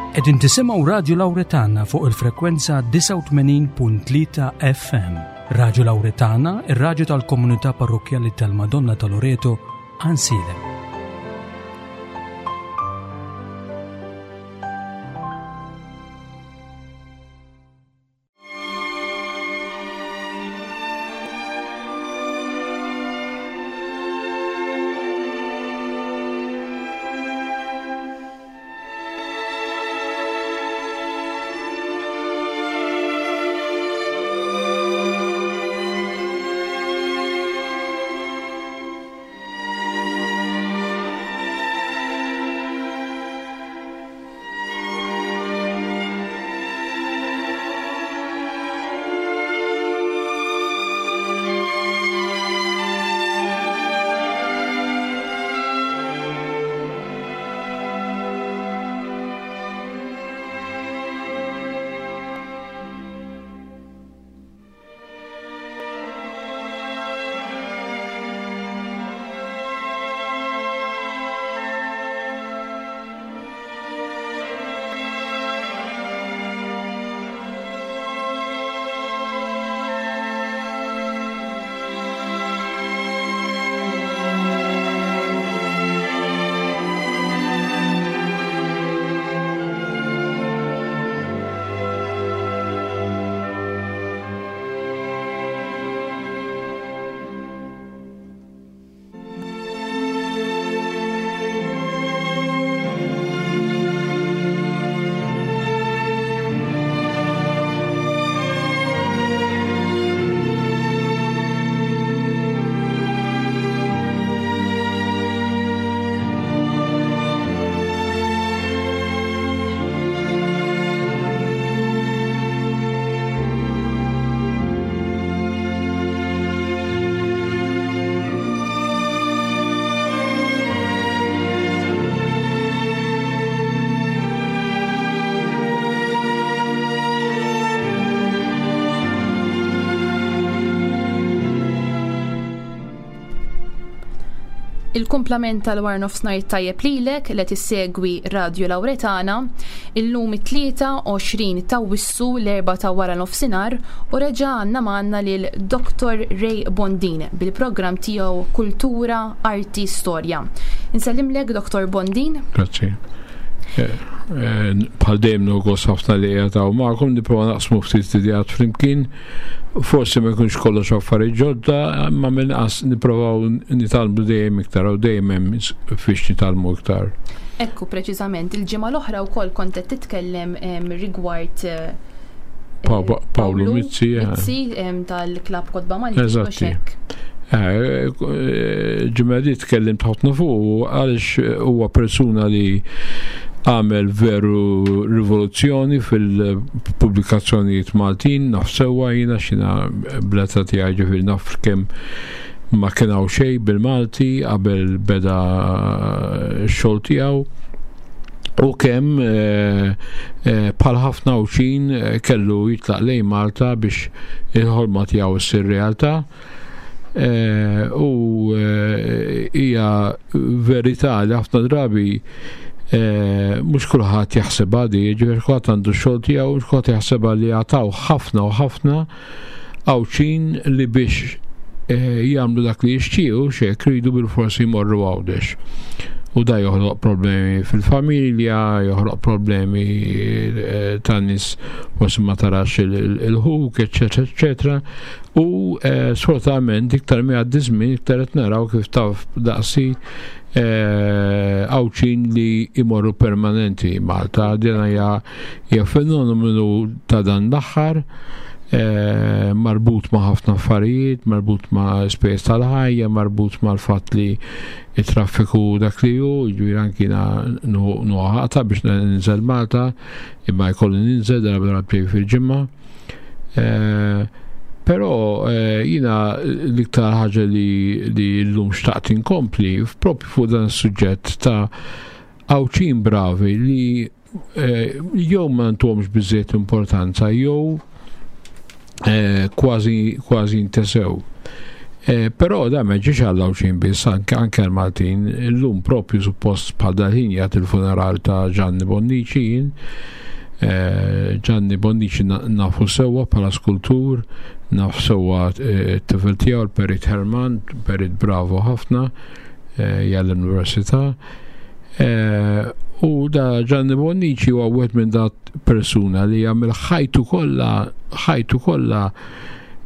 Qegħdin tisimgħu Radju Lawretana fuq il-frekwenza 89.3 FM. Radju Lawretana, ir-radju tal-komunità parrokkjali tal-Madonna ta' Loreto, Għansielem. Il-kumplament tal-war nofsnar tajjeb lilek li tissegwi Radio Lawretana illum it-tlieta 20 ta' Wissu l-erba' ta' wara nofsinhar u reġa' għandna magħna lil Dr. Ray Bondin bil-programm tiegħu Kultura, Arti, Storja. Insellimlek Dr. Bondin. Grazzi. Eh, eh, bħal dejjem nogos ħafna li qiegħed hawn magħkom nipprova naqsmu ftit ideat flimkien. Forsi ma jkunx kollox affarijiet ġodda, imma mill-inqas nipprovaw nitgħallmu dejjem iktar u dejjem hemm fiex nitgħallmu iktar. Ekku, preċiżament, il-ġimgħa l-oħra wkoll kont qed titkellem rigward eh, Paolo Mizzi, eh. Mizzi tal-Klab Kotba Malti. Eżatti. Eh, ġimgħa di tkellimt ħafna fuq għaliex huwa persuna li għamel veru rivoluzzjoni fil-pubblikazzjonijiet Maltin, naf sewwa jiena xina bleta tiegħi ġifieri naf kemm ma kien hawn xejn bil-Malti qabel beda x-xogħol tiegħu u kemm eh, eh, bħal ħafna Għawdxin kellu jitlaq lejn Malta biex il-ħolma tiegħu ssir realtà. Eh, u eh, hija verità li ħafna drabi eh, mhux kulħadd jaħsebha di, ġifieri kulħadd għandu x-xogħol tiegħu, mhux kulħadd jaħsebha li jagħtaw ħafna u ħafna Għawdxin li biex jagħmlu dak li jixtiequ xek ridu bil-forsi jmorru Għawdex. U da joħloq problemi fil-familja, joħloq problemi ta' nies forsi ma tarax il-ħuk, eċetera, eċetera. U eh, sfortunatament iktar mi għaddi żmien iktar qed naraw kif taf daqsi eh, Għawdxin li imorru permanenti Malta. Din hija hija fenomenu ta' dan l-aħħar eh, marbut ma' ħafna affarijiet, marbut ma' spejjeż tal-ħajja, marbut mal-fatt li it-traffiku dak li hu, jiġifieri anki nuħata biex ninżel Malta, imma jkolli ninżel darba darbtejn fil-ġimgħa. Eh, però eh, jina l-iktar ħaġa li, li l-lum xtaqt inkompli propju fuq dan is-suġġett ta' Għawdxin bravi li eh, jew ma ntuhomx biżżejjed importanza jew kważi kważi ntesew. Eh, però da ma ġiex għal Għawdxin biss, anke anke l-Maltin, illum propju suppost bħal dal-ħin jagħti il-funeral ta' Gianni Bonnici jien. Eh, Gianni Bonnici nafu sewwa bħala skultur, naf sewwa eh, t-tifel tiegħu l-Perit Herman, perit bravo ħafna, jgħallem l-università. U da Gianni Bonnici huwa wieħed minn dat persuna li jagħmel ħajtu kollha ħajtu kollha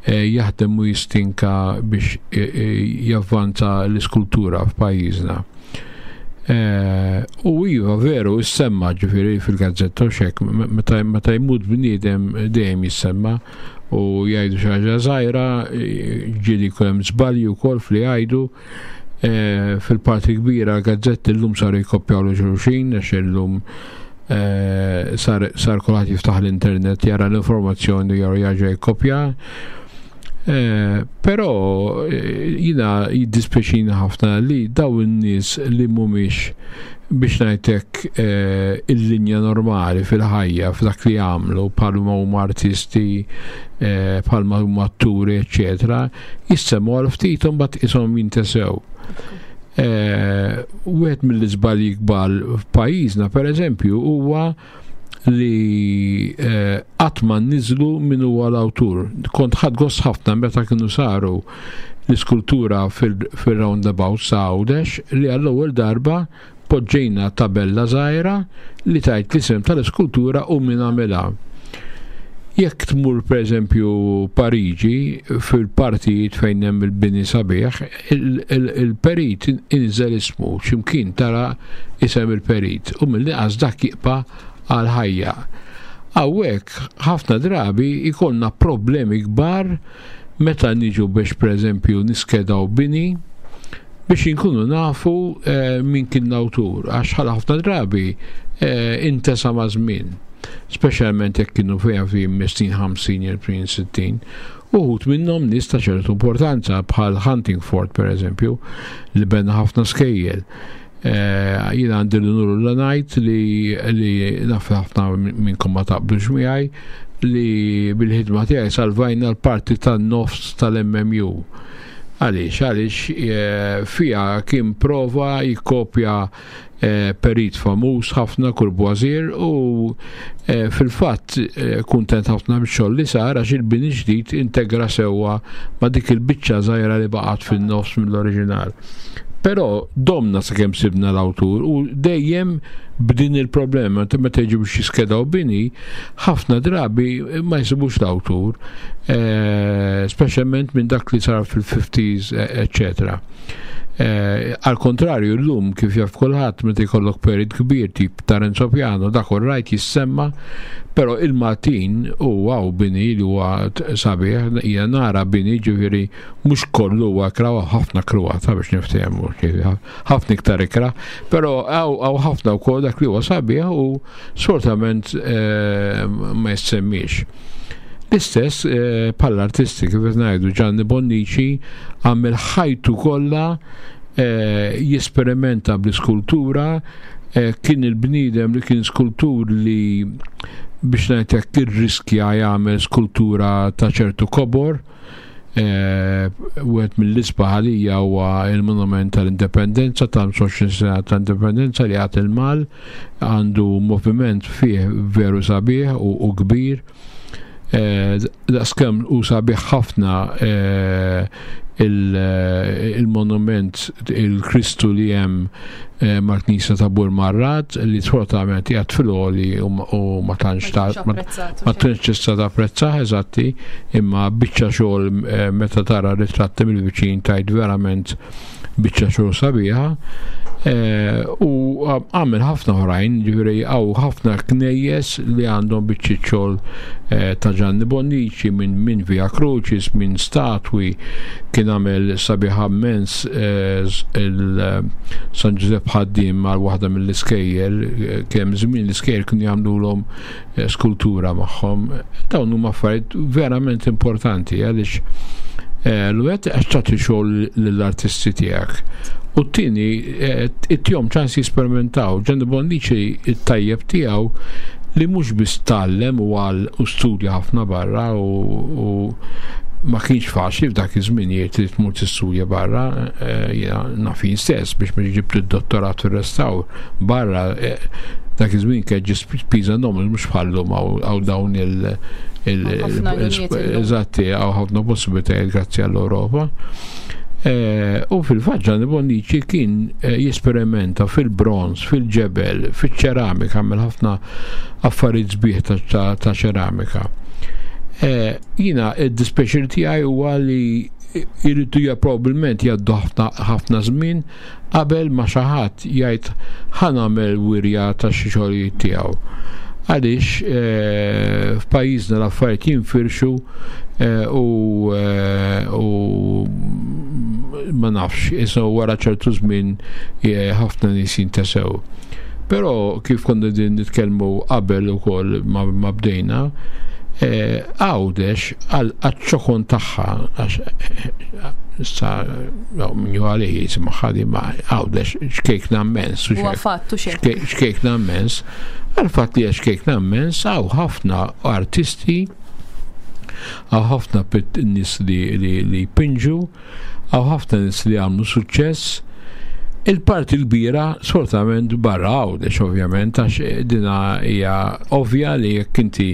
Eh, jaħdem u jistinka biex eh, eh, javvanza l-iskultura f'pajjiżna. U iva, veru, jissemma ġifiri fil-gazzetta u xek, meta jmut bniedem dejjem jissemma u jgħidu xi ħaġa żgħira, ġieli jkun hemm żbalji wkoll fli jgħidu. Fil-parti kbira l-gazzetti llum saru jkoppjaw l xulxin għax illum Eh, sar, sar kulħadd jiftaħ l-internet jara l-informazzjoni jew jarġa' jikkopja. Eh, però eh, jina jiddispjaċini ħafna li daw in-nies li mhumiex biex ngħidlek il-linja normali fil-ħajja f'dak li jagħmlu bħalma huma artisti, bħalma huma atturi, eċetera, jissemmu għal ftit u mbagħad ishom jintesew. Eh, wieħed mill-iżbalji kbar f'pajjiżna, pereżempju, huwa li eh, qatt ma niżlu min huwa l-awtur. Kont ħadd gost ħafna meta kienu saru l-iskultura fil-roundabout sa Għawdex li għall-ewwel darba poġġejna tabella żgħira li tgħid l-isem tal-iskultura u min għamilha. Jekk tmur pereżempju Pariġi fil-partijiet fejn hemm il-bini sabiħ, il-perit inżel ismu x'imkien tara isem il-perit u mill-inqas dak jibqa' għal ħajja. Hawnhekk ħafna drabi jkollna problemi kbar meta niġu biex pereżempju niskedaw bini biex inkunu nafu eh, min kien l-awtur għax ħala ħafna drabi eh, intesa ma' żmien speċjalment jekk kienu fejn fi snin 50 jew 60 uħut minnhom nies ta' ċertu importanza bħal Huntingford pereżempju li bena ħafna skejjel. Eh, jiena għandi l-unur l ngħid li li naf ħafna minnkom ma taqblux miegħi li bil-ħidma tiegħi salvajna l-parti tan-nofs tal-MMU. Għaliex, għaliex eh, fija kien prova jikkopja eh, perit famuż ħafna Courvoisier u fil-fatt kuntent ħafna bix-xogħol li sar għax il-bini ġdid integra sewwa ma' dik il-biċċa żgħira li baqgħet fin-nofs mill-oriġinal. Però domna sakemm sibna l-awtur u dejjem b'din il-problema, meta jiġu biex jiskedaw bini, ħafna drabi ma jsibux l-awtur, eh, speċjalment minn dak li sar fil-50s, eccetera. Eh, al kontrarju, l-lum kif jaf kulħadd meta jkollok perit kbir tip ta' Renzo Piano, dak rajt jissemma, però il-Maltin u għaw bini li huwa sabiħ, hija nara bini ġifieri mhux kollu huwa ikra, ħafna kruata biex niftehmu, ħafna iktar ikra, però hawn ħafna wkoll dak li huwa sabiħ u sfortunatament eh, ma jissemmix. L-istess eh, bħall artisti kif qed ngħidu Gianni Bonnici għamel ħajtu kollha eh, jesperimenta bl-iskultura, kien il-bniedem li kien skultur li biex ngħidlek irriskja jagħmel skultura ta' ċertu kobor, Eh, wieħed mill-isbaħ għalija huwa il-Monument tal-Indipendenza ta' 25 sena ta' Indipendenza li għad il-Mal għandu moviment fih veru sabiħ u kbir. Eh, daqskemm u sabiħ ħafna eh, il-monument il-Kristu li hemm eh, mal-Knisja ta' Burmarrad li sfortunatament qiegħed fil-għoli u ma tantx ma tantx tista' tapprezzah eżatti imma biċċa xogħol eh, meta tara ritratti mill-viċin tajt verament biċċa xogħol sabiħa eh, u għamel ħafna oħrajn, ġifieri hawn ħafna knejjes li għandhom biċċiet xogħol eh, ta' Gianni Bonnici minn min Via Crucis, minn statwi, kien għamel sabiħa immens eh, il-San Ġużepp ħaddiem għal waħda mill-iskejjel, kemm żmien l-iskejjel kienu jagħmlulhom skultura magħhom. Dawn huma affarijiet verament importanti għaliex eh, l-wieħed għax tagħti xogħol lill-artisti tiegħek. U t-tieni eh, ittihom ċans jisperimentaw. Gianni Bonnici it-tajjeb tiegħu li mhux biss tgħallem u għal u studja ħafna barra u Ma kienx faċli f'dak iż-żminijiet li tmur tistudja barra, eh, jiena naf jien stess biex ma ġibt id-dottorat fir-restawr barra eh, dak iż-żmien kien ġi spiża nomel mhux bħallum hawn dawn il- eżatti hawn ħafna possibilitajiet grazzi għall-Ewropa. Eh, u fil-fatt Gianni Bonnici kien jesperimenta fil-bronz, fil-ġebel, fil-ċeramika, għamel ħafna affarijiet sbieħ ta' ċeramika. Jiena id-dispjaċir tiegħi huwa li jridu ja probabbilment jgħaddu ħafna żmien qabel ma xi ħadd jgħid ħa nagħmel wirja ta' xi xogħlijiet tiegħu. Għaliex eh, f'pajjiżna l-affarijiet jinfirxu eh, u eh, u ma nafx, isu wara ċertu żmien ħafna nies jintesew. Però kif konna din nitkellmu qabel ukoll ma bdejna, eh, Għawdex għal-ċokon tagħha għax eh, issa min ju għalih jisimha ħadi ma Għawdex xkejkna immens. Huwa fattu Xkejkna immens. Għal-fatt li xkejkna immens hawn ħafna artisti għaw ħafna nies li jpinġu Hawn ħafna nies li għamlu suċċess. Il-parti l-kbira sfortunatament barra Għawdex ovvjament għax dina hija ovvja li jekk inti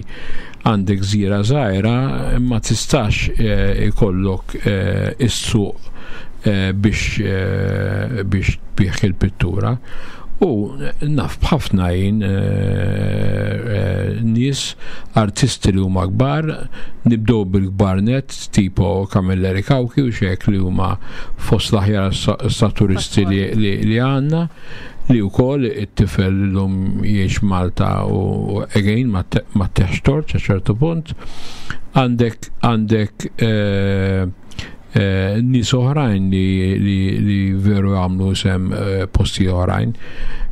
għandek gżira żgħira ma tistax eh, ikollok eh, is-suq eh, biex biex tbigħ il-pittura. U naf b'ħafna jien nies artisti li huma kbar, nibdew bil-kbar net, tipo Camilleri Cauchi u xek li huma fost l-aħjar staturisti li għandna li wkoll it-tifel l-lum jiex Malta u again ma teħx tort sa ċertu punt. Għandek għandek eh, eh, nies oħrajn li, li, li veru għamlu sem eh, posti oħrajn.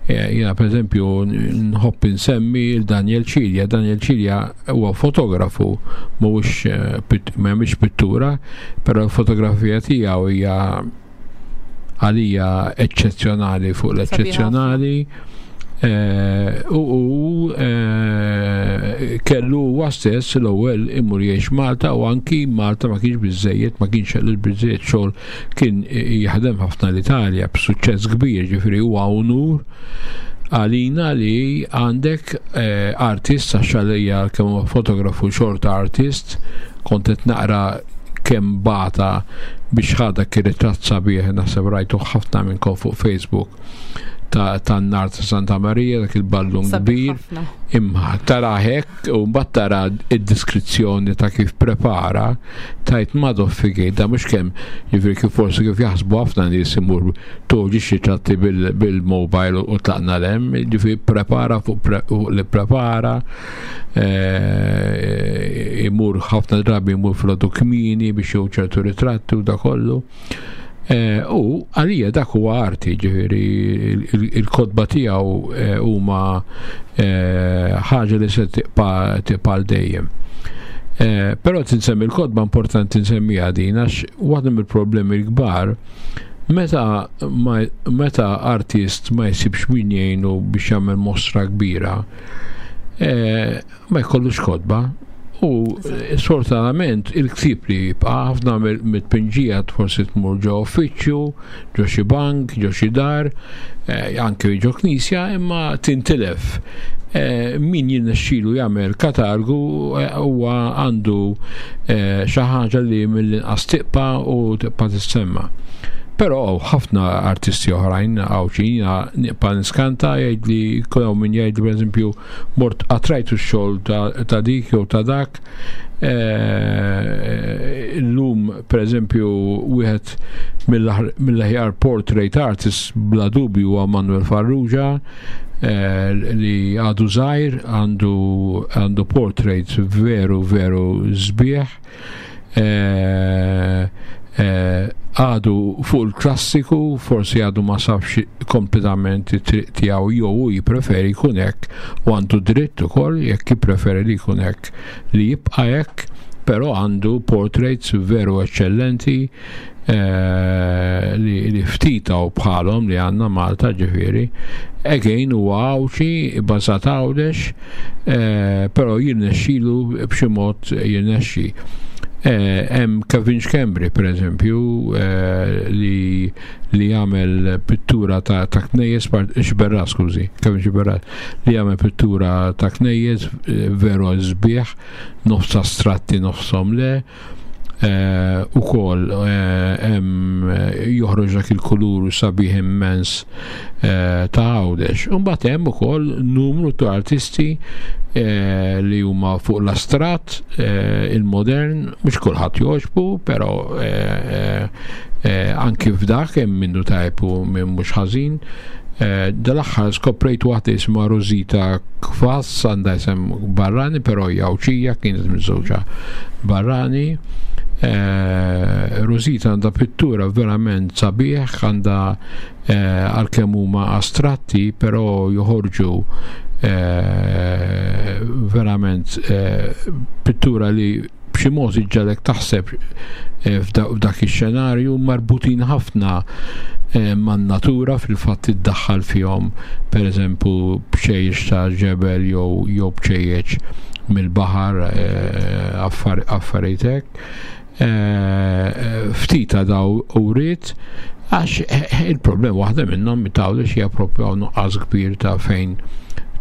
Jena per eżempju nħobb insemmi il-Daniel Cilia. Daniel Cilia huwa fotografu mhuwiex eh, ma jagħmilx pittura, però l-fotografija tiegħu hija għalija eċċezzjonali fuq l-eċċezzjonali. Eh, u eh, kellu huwa stess l-ewwel imur jgħix Malta u anki Malta ma kienx biżejjed, ma kienx kellu biżejjed xogħol kien jaħdem ħafna l-Italja b'suċċess kbir, ġifieri huwa unur għalina li għandek eh, artist għax għalija kemm huwa fotografu xorta artist kont qed naqra kemm bata biex ħa dak ir-ritratt sabiħ naħseb rajtu ħafna minnkom fuq Facebook ta' tan-nar ta' Santa Marija dak il-ballun kbir imma tara hekk u mbagħad tara id-diskrizzjoni ta' kif prepara tajt madoffi da mhux kemm jiġifieri kif forsi kif jaħsbu ħafna nies imur toġi xi tratti bil-mobile u tlaqna lem, ġifieri prepara fuq li prepara, eh, imur ħafna drabi imur fil kmini biex jew ċertu ritratti u da kollu. Eh, u għalija dak huwa arti, ġifieri il-kotba tiegħu eh, huma ħaġa li se tibqa' tibqa' dejjem. Però tinsemmi l-kotba importanti nsemmiha din għax waħda mill-problemi l-kbar Meta, ma, meta artist ma jsibx min jgħinu biex jagħmel mostra kbira, eh, ma jkollux kotba. U eh, sfortunatament il-ktib li jibqa' ħafna mit-tpinġija forsi tmur ġo uffiċċju, ġo xi bank, ġo xi dar, eh, anke ġo knisja, imma tintilef. Eh, min jirnexxilu jagħmel katalgu eh, huwa għandu eh, xi ħaġa li mill-inqas tibqa' u tibqa' tissemma. Però ħafna artisti oħrajn għawxin nibqa' niskanta jgħid li kull min jgħid pereżempju mort qatrajtu x-xogħol ta' dik jew ta' dak. Illum pereżempju wieħed mill-aħjar portrait artist bla dubju huwa Manuel Farrugia Eh, li għadu żgħir għandu għandu portraits veru veru sbieħ eh, eh, għadu fuq il-klassiku forsi għadu ma safx kompletament it-triq tiegħu jew hu jippreferi jkun hekk u għandu dritt ukoll jekk jippreferi li jkun hekk li jibqa' hekk però għandu portraits veru eċċellenti Eh, li ftit hawn bħalhom li għandna Malta ġifieri. Again huwa Għawdxi, bbażat Għawdex, eh, però jirnexxilu b'xi mod jirnexxi. Hemm Kevin Schembri pereżempju li li jagħmel pittura ta' ta' knejjes Xiberras skużi, Kevin Xiberras li jagħmel pittura ta' knejjes veru sbieħ, nofs astratti nofshom le. Eh, u kol eh, joħroġ dak il-kulur sabiħ immens eh, ta' Għawdex. Imbagħad hemm ukoll numru ta' artisti li huma fuq l-astrat, il-modern, mhux kulħadd jogħġbu, però anki f'dak hemm minnu tajb u minn mhux ħażin. Dal-aħħar skoprejt waħda jisimha Rosita Kvass, għandha isem barrani, però hija Għawdxija, kienet miżżewġa barrani. Rosita għandha pittura verament sabiħ, għandha għalkemm huma astratti, però joħorġu verament pittura li b'xi mod iġġagħlek taħseb eh, f'dak ix-xenarju marbutin ħafna eh, man-natura fil-fatt iddaħħal fihom pereżempju bċejjeċ ta' ġebel jew jew bċejjeċ mill-baħar eh, affarijiet hekk. Ftit ta' daw uriet għax il-problem waħda minnhom tawli xi propju hawn nuqqas kbir ta' fejn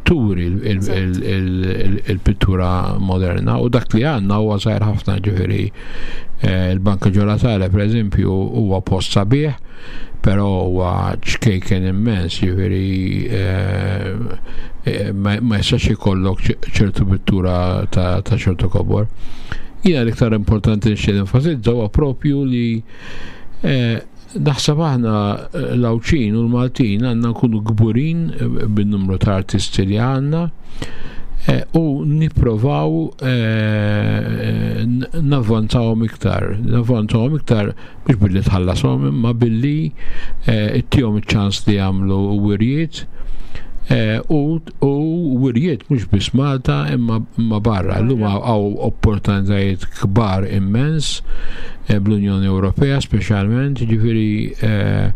turi il-pittura moderna u dak li għandna huwa żgħir ħafna ġifieri eh, il-Banka Ġolatale pereżempju huwa post sabiħ però huwa ċkejken immens ġifieri eh, eh, ma jistax ikollok ċertu pittura ta' ċertu kobor. Jiena l-iktar importanti nixtieq nenfasizza huwa propju li Naħseb aħna eh, l-Għawdxin u l-Maltin għandna nkunu kburin eh, bin-numru ta' artisti li għandna eh, u nipprovaw navvanzawhom iktar, navvanzawhom iktar mhux billi tħallashom imma billi ittihom iċ-ċans li jagħmlu wirjiet u U wirjiet mhux biss Malta imma imma barra. Illum hawn opportunitajiet kbar immens eh, bl-Unjoni Ewropea speċjalment, jiġifieri eh,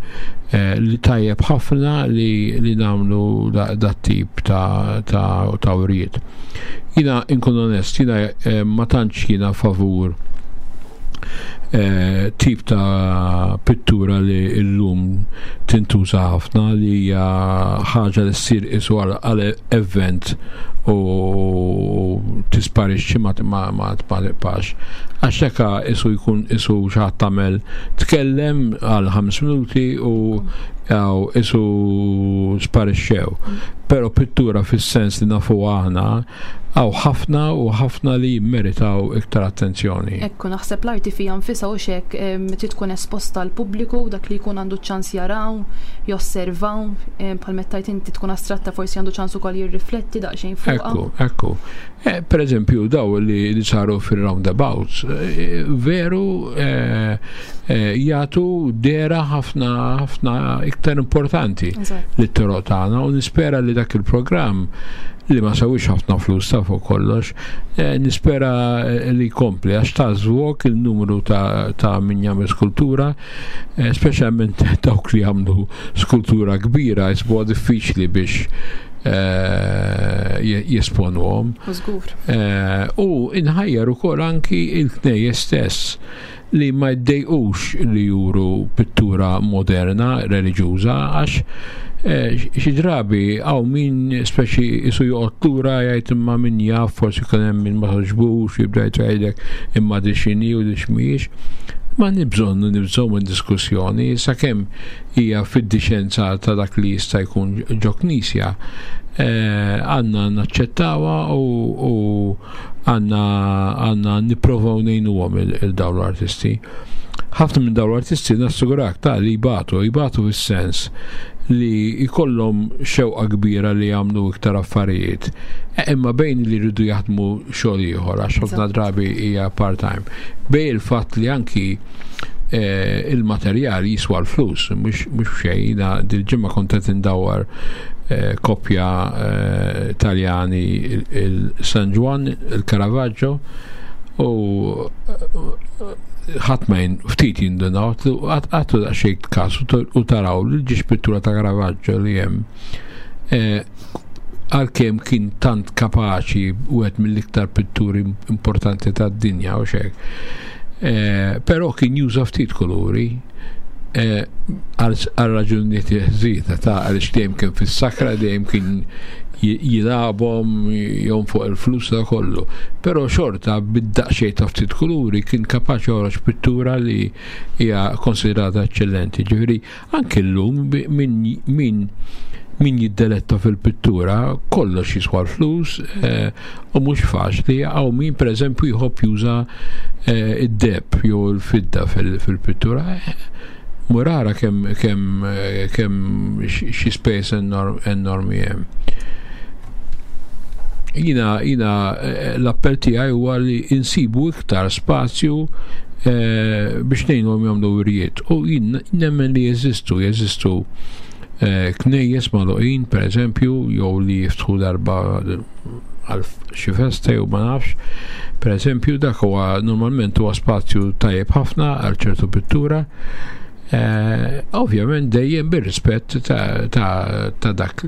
eh, li tajjeb ħafna li, li nagħmlu dat tip ta', ta, ta wirjiet. Jina inkun onest, jina ma tantx jiena favur Eh, tip ta' pittura li llum tintuża ħafna li hija ħaġa li ssir isu għal event u tisparixxi ma ma tibqax. Għax hekk isu jkun isu xi ħadd tagħmel tkellem għal ħames minuti u isu sparixxew. Però pittura fis-sens li nafu aħna Hawn ħafna u ħafna li jimmeritaw iktar attenzjoni. Ekku, naħseb l-arti fiha nfisha hux hekk trid tkun esposta għall-pubbliku, dak li jkun għandu ċ-ċans jaraw, josservaw, bħal meta tgħid inti tkun astratta forsi għandu ċans ukoll jirrifletti daqsxejn fuqha. Ekku, ekku. Eh, per eżempju, daw li, li saru fil-roundabouts, eh, veru eh, jagħtu dera ħafna ħafna iktar importanti lit-toroq tagħna u nispera li dak il-programm li ma sawix ħafna flus ta' fuq kollox, eh, nispera eh, li jkompli għax ta' żvok il-numru ta', ta min jagħmel skultura, eh, speċjalment dawk li jagħmlu skultura kbira jisbuha diffiċli biex jesponuhom. U inħajjar ukoll anki il-knejjes stess li ma jdejqux li juru pittura moderna reliġjuża għax eh, xi drabi hawn min speċi isu joqgħod lura jgħid imma min jaf forsi kien hemm min ma toġbux jibda jgħidlek imma di x'inhi u di x'mhijiex. Ma nibżonnu nibżgħu minn diskussjoni sakemm hija fid-diċenza ta' dak li jista' jkun ġo knisja eh, għandna naċċettawha u għandna għandna nipprovaw ngħinuhom il-dawn l-artisti. Ħafna minn dawn l-artisti nassigurak ta' li jbatu, jbatu fis-sens li jkollhom xewqa kbira li jagħmlu iktar affarijiet. E, imma bejn li jridu jaħdmu xogħol ieħor għax ħafna drabi hija part-time. Bejn il-fatt li anki e, il-materjal jiswa l-flus, mhux xejn, dil-ġimgħa kont qed indawwar Eh, koppja eh, Taljani il-San Juan, il-Caravaggio u eh, ħadd ma ftit jindunaw, għattu daqsxejn każ u taraw li ġiex pittura ta' Caravaggio li hemm għalkemm kien tant kapaċi wieħed mill-iktar pitturi importanti tad-dinja u xek. Eh, però kien juża ftit kuluri eh, għal raġunijiet ħżiena ta' għaliex dejjem kien fis-sakra, dejjem kien jilagħbhom jonfoq il-flus ta' kollu. Però xorta bid-daqsxejn ta' ftit kuluri kien kapaċi joħroġ pittura li hija konsidrata eċċellenti. Ġifieri Anki llum min min min jiddeletta fil-pittura kollox jiswa l-flus eh, u mhux faċli hawn min pereżempju jħobb juża eh, id-deb jew il-fidda fil-pittura. Murara kemm kemm kemm xi spejjeż enormi hemm. Jina, jina eh, l-appell tiegħi huwa li insibu iktar spazju eh, biex ngħinhom jagħmlu wirjiet. U jien nemmen li jeżistu, jeżistu eh, knejjes magħluqin pereżempju jew li jiftħu darba għal xi festa jew ma nafx. Per eżempju, dak huwa normalment huwa spazju tajjeb ħafna għal ċertu pittura. Eh, ovvjament dejjem bir-rispett ta' dak ta' dak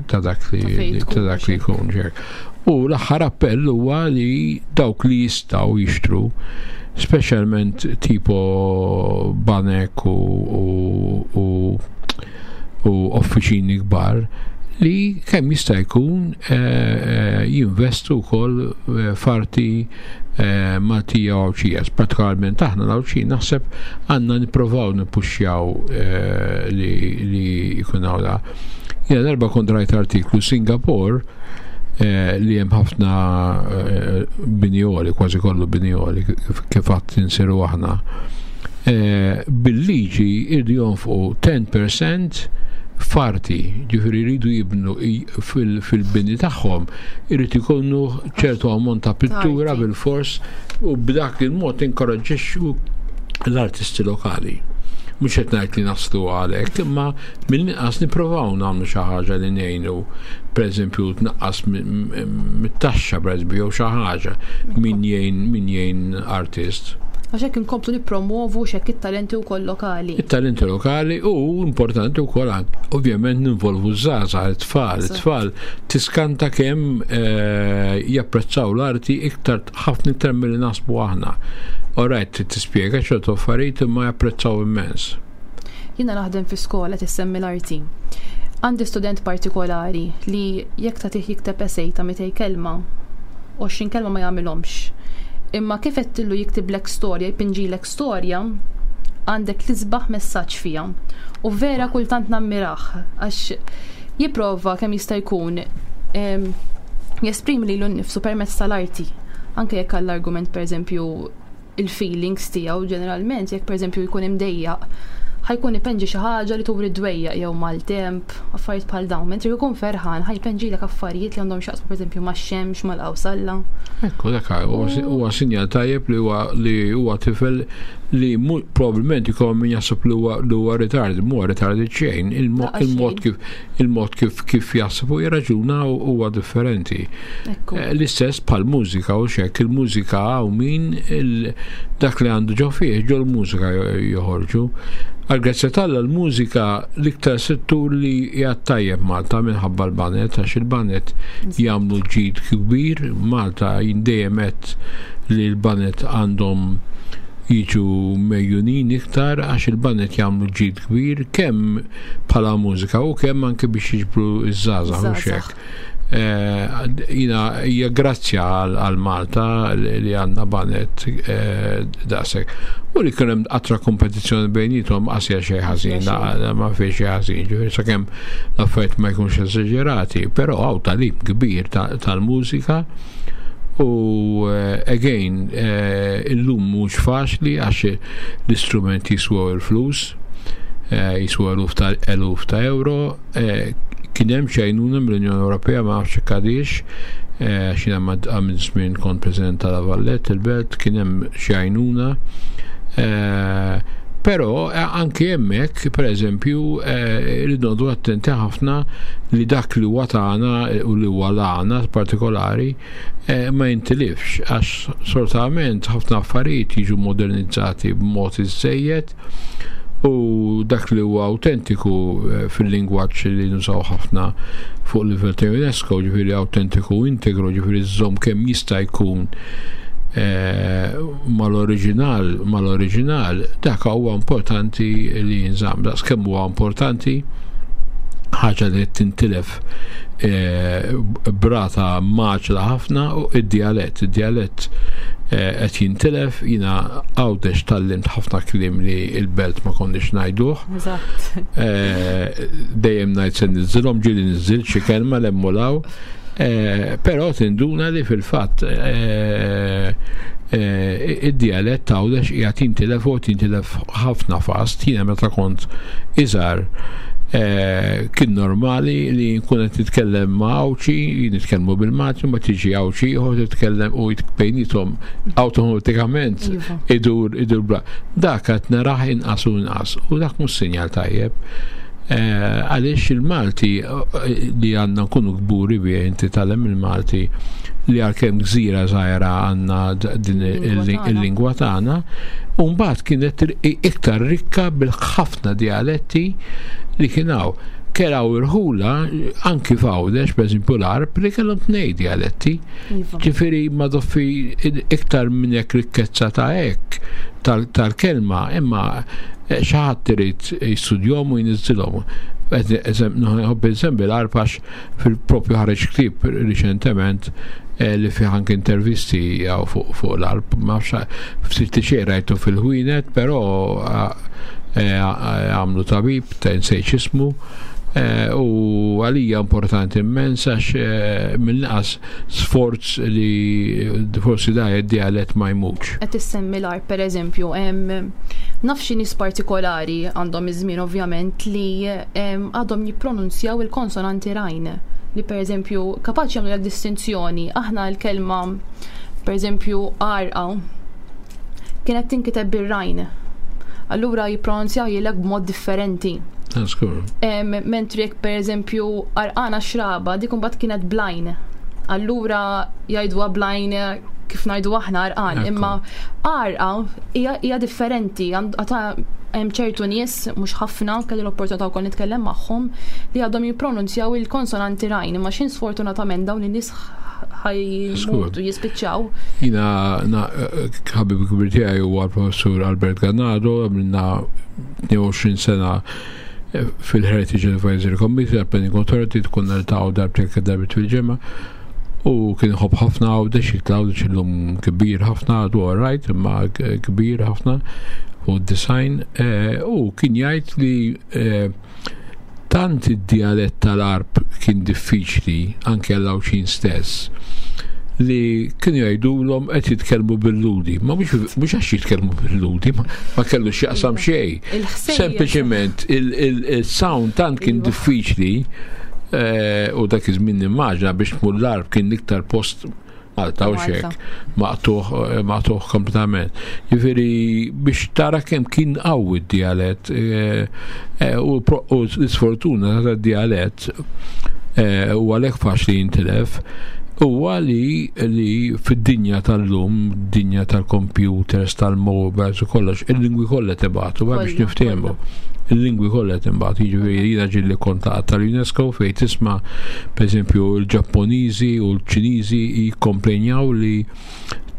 li ta' dak li jkun ġek. U l-aħħar appell huwa li dawk li jistgħu jixtru speċjalment tipo banek u, u, u, u offiċini kbar li kemm jista' jkun eh, eh, jinvestu wkoll eh, f'arti eh, Maltija u Għawdxija. Partikolarment aħna l-Għawdxin naħseb għandna nipprovaw nippuxxjaw eh, li, li jkun hawn Jiena darba kont rajt artiklu Singapore eh, li hemm ħafna binjoli, kważi kollu binjoli, kif għad insiru aħna. Bil-liġi irdu jonfqu 10% farti, ġifieri jridu jibnu fil-bini tagħhom, irid ikunu ċertu ammont ta' pittura bil-fors u b'dak il-mod inkoraġġixxu l-artisti lokali. Mhux qed ngħid li naslu għalhekk, imma mill-inqas nipprovaw nagħmlu xi ħaġa li ngħinu, pereżempju tnaqqas mit-taxxa pereżempju jew xi ħaġa min jgħin min jgħin artist. Għax hekk inkomplu nippromovu x'hekk it-talenti wkoll lokali. It-talenti lokali u importanti wkoll ovvjament ninvolvu ż-żgħażagħ, it-tfal, it-tfal Tiskanta kemm eh, japprezzaw l-arti iktar ħafna iktar milli naħsbu aħna. Alright, tispjega ċertu affarijiet imma japprezzaw immens. Jiena naħdem fi skola tissemmi l-arti. Għandi student partikolari li jekk tagħtih jikteb essay ta' 200 kelma, 20 kelma ma jagħmilhomx. Imma kif għedtillu jiktiblek storja, jpinġilek storja, għandek l-isbaħ messaġġ fiha. U vera kultant nammirah għax jipprova kemm jista' jkun jesprimi lilu nnifsu permezz tal-arti. Anke jekk għall-argument pereżempju il-feelings tiegħu ġeneralment jekk pereżempju jkun imdejjaq ħajkun ipenġi xi ħaġa li turi dwejjaq jew maltemp, affarijiet bħal dawn. Mentri jkun ferħan ħajpenġilek affarijiet li għandhom x'jaqsmu pereżempju max-xemx, mal-qawsalla. Ekku dak huwa sinjal tajjeb li huwa li huwa tifel li probabbilment ikun min jaħseb li huwa li huwa retard, mhu retard xejn, il-mod kif il-mod kif kif jaħseb u jirraġuna huwa differenti. Eh, l-istess bħal mużika u xek, il-mużika hawn min dak li għandu ġo fih ġo l-mużika joħorġu. Għal-grazzja tal l-mużika l-iktar settur li jgħat tajjeb Malta minħabba l-banet, għax il-banet jagħmlu ġid kbir, Malta jindejjem qed li l-banet għandhom jiġu mejjunin iktar għax il-banet jagħmlu ġid kbir kemm bħala mużika u kemm anke biex jiġbru iż-żgħażagħ u xek. Eh, jina hija grazzja għal Malta li għandna banet eh, daqshekk. U li kien hemm qatra kompetizzjoni bejnietom qasja xejn ħażin, ma fih xejn ħażin, ġifieri sakemm l-affarijiet ma jkunx eżaġerati, però hawn talim kbir tal-mużika u eh, again illum mhux faċli għax l-istrumenti jiswew il-flus Eh, jiswa eluf ta' eluf ta' euro. Eh, kien hemm xi għajnuna mill-Unjoni Ewropea ma nafx hekk għadix, eh, għax jiena għamil żmien kont President tal Vallet il-Belt, kien hemm xi għajnuna. Però anke hemmhekk, pereżempju, rridu noqogħdu attenti ħafna li dak li huwa tagħna u li huwa l-għana partikolari ma jintilifx għax sortament ħafna affarijiet jiġu modernizzati b'mod iżejjed u dak li huwa autentiku eh, fil-lingwaġġ li nużaw ħafna fuq livell ta' UNESCO, ġifieri autentiku integru, ġifieri żżomm kemm jista' jkun eh, mal-oriġinal, mal-oriġinal, dak huwa importanti li jinżamm. Daqs kemm huwa importanti ħaġa li tintilef eh, brata maġla ħafna u id-dialett. Id-dialett eh, qed jintilef, jina għawdex tallimt ħafna kliem li il-belt ma konniex ngħiduh. Eh, dejjem ngħid se niżilhom ġieli niżil xi kelma l-emmulaw. Eh, però tinduna li fil-fatt eh, eh, id-dialett għawdex qiegħed jintilef u jintilef ħafna fast. Jiena meta kont iżgħar kien normali li nkun qed nitkellem ma' Għawdxi, nitkellmu bil-Malti, ma tiġi Għawdxi ieħor titkellem u bejniethom awtomatikament iva. idur idur bla. Dak qed narah inqas u inqas u dak mhux sinjal tajjeb. Eh, għaliex il-Malti eh, li għandna nkunu kburi bih inti talem il-Malti li għalkemm gżira żgħira għandna din il-lingwa tagħna, u mbagħad kienet iktar rikka bil-ħafna dialetti li kien hawn. Keraw irħula anki f'Għawdex, pereżempju l-Arb, li kellhom tnej dialetti. Iva. Ġifieri ma doffi iktar minn hekk rikkezza ta' hekk tal-kelma, imma eh, xi ħadd irid jistudjhom u jniżżilhom. Nħobb insemmi l-Arb għax fil-propju ħareġ ktieb riċentement eh, li fih anke intervisti jew fuq l-arb, ma ftit li xejn rajtu fil-ħwienet, però eh, għamlu tabib, ta' insejt ismu, eh, u għalija importanti immens għax mill-inqas sforz li forsi da id-dialett ma jmutx. Qed issemmi l-arb pereżempju, naf xi nies partikolari għandhom iż-żmien ovvjament li għadhom jippronunzjaw il-konsonanti rajn li pereżempju kapaċi jagħmlu distinzjoni aħna l-kelma pereżempju għarqa kienet tinkiteb bir-rajn. Allura jippronunzjaw jilek b'mod differenti. Mentri jekk pereżempju għarqana xraba dik imbagħad kienet blajn. Allura jgħiduha blajn kif ngħidu aħna għarqan, imma għarqa hija differenti. Hemm ċertu nies, mhux ħafna, kelli l-opportunità wkoll nitkellem magħhom, li għadhom jippronunzjaw il-konsonanti rajn, imma x'in sfortunatament dawn in-nies ħajmutu jispiċċaw. Jina ħabib kbir tiegħi huwa l-professur Albert Ganado, għamilna 22 sena eh, fil-Heritage Advisory Committee tal-Planning Authority tkun niltaqgħu darbtejn darbit fil-ġimgħa u kien ħobb ħafna għawdex jitla għawdex illum kbir ħafna għadu għarajt imma kbir ħafna u design eh, u kien jgħid li eh, Tant id-djalett tal-Għarb kien diffiċli anke għall-Għawdxin stess li kienu jgħidulhom qed jitkellmu bil-Lhudi. Ma mhux għax jitkellmu bil-Lhudi, ma kellu x'jaqsam iva. xejn. Sempliċement il-sound tant kien iva. diffiċli eh, u dak iż-żmien nimmaġna biex tmur l-Għarb kien l-iktar post Malta u xek, maqtuħ, eh, maqtuħ kompletament. Ġifieri biex tara kemm kien qawwi d-dialett eh, eh, u l-sfortuna ta' dialett u għalhekk faċli jintilef huwa li li fid-dinja tal-lum, dinja tal-computers, tal-mobiles u kollox, il-lingwi kollha tibgħatu biex niftehmu. Il-lingwi kollha tinbagħtu, jiġifieri jiena ġieli kont tal-UNESCO fejn tisma' pereżempju l-Ġappuniżi u l-Ċiniżi jikkomplenjaw li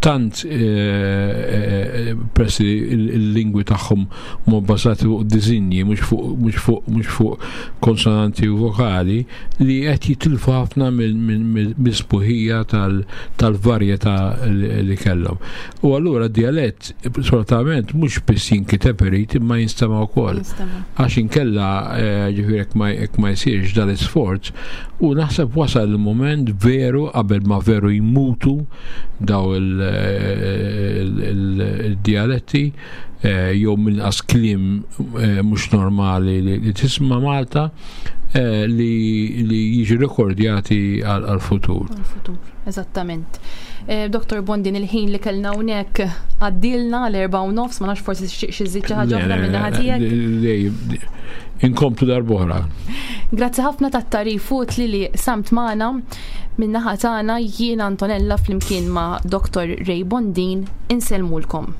tant eh, eh, eh, peress li l-lingwi tagħhom huma bbażati fuq disinji mhux fuq mhux fuq mhux fuq konsonanti u vokali li qed jitilfu ħafna mill-sbuħija tal-varjetà li kellhom. U allura d-dialett solitament mhux biss jinkiteb irid imma jinstema' wkoll. Għax inkella eh, ġifieri jekk ma jsirx dal-isforz u naħseb wasal il-mument veru qabel ma veru jmutu daw il-dialetti eh, jew mill-inqas kliem eh, mhux normali li tisma' Malta li jiġu rekordjati għal-futur. Għal-futur, eżattament. Eh, Dr. Bondin, il-ħin li kellna hawnhekk għaddilna l-4 u nofs, ma nafx forsi xi żid xi ħaġa oħra minn naħa tiegħek. Inkomplu darb'oħra. Grazzi ħafna tat-tarif utli li samt magħna min-naħa tagħna jiena Antonella flimkien ma' Dr. Ray Bondin insellmulkom.